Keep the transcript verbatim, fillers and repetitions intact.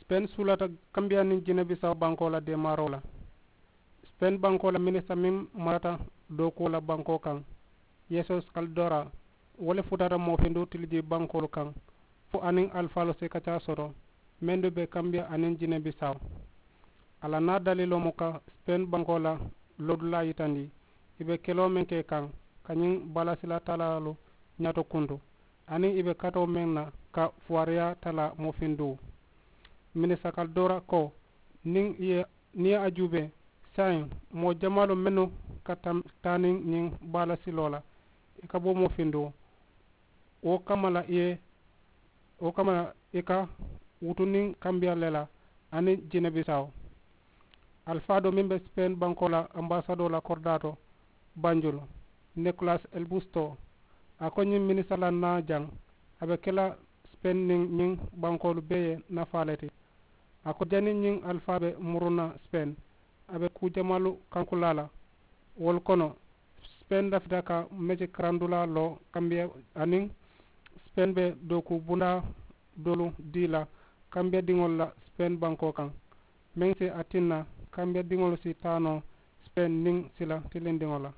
Sipen suulata kambiya niŋ jinebisawo bankoo la deemaaroo la. Sipen bankoo la minisita meŋ marata dookuwo la bankoo kaŋ, yesus kaldora, wo le futata moofinduu tiliji bankoolu kaŋ fo aniŋ alifaalu si kacaa soto mendu be kambiya aniŋ jinebisawo. A la naa daliiloo mu ka sipen bankoo la loodulaa yitandi, i be keloo meŋ ke kaŋ ka ñiŋ baalasila talaalu ñaato kuntu aniŋ i be katoo meŋ na ka fuwaariyaa talaa moofinduu. Minisita kaldora ko, niŋ i ye niŋ i ye a juubee saayiŋ, moo jamaalu mennu ka taa niŋ ñiŋ baalasiloo la i ka bo moofinduu, wo kamma la i ye wo kamma la i ka wutu niŋ kambiya le la aniŋ jinebisawo. Alifaa doo meŋ be sipen bankoo la ambasadoo la koridaato banjulu, nikolas elbusto, a ko ñiŋ minisita la naa jaŋ a be ke la sipen niŋ ñiŋ bankoolu bee ye nafaa le ti. A ko janniŋ ñiŋ alifaa be muruna sipen, a be kuu jamaalu kankulaa la. Wolu kono, sipen lafita ka meci karandulaa loo kambiya aniŋ sipen be dooku bundaa doolu dii la kambiya diŋolu la sipen bankoo kaŋ, meŋ si a tinna kambiya diŋolu si taa noo sipen niŋ sila tilindiŋo la.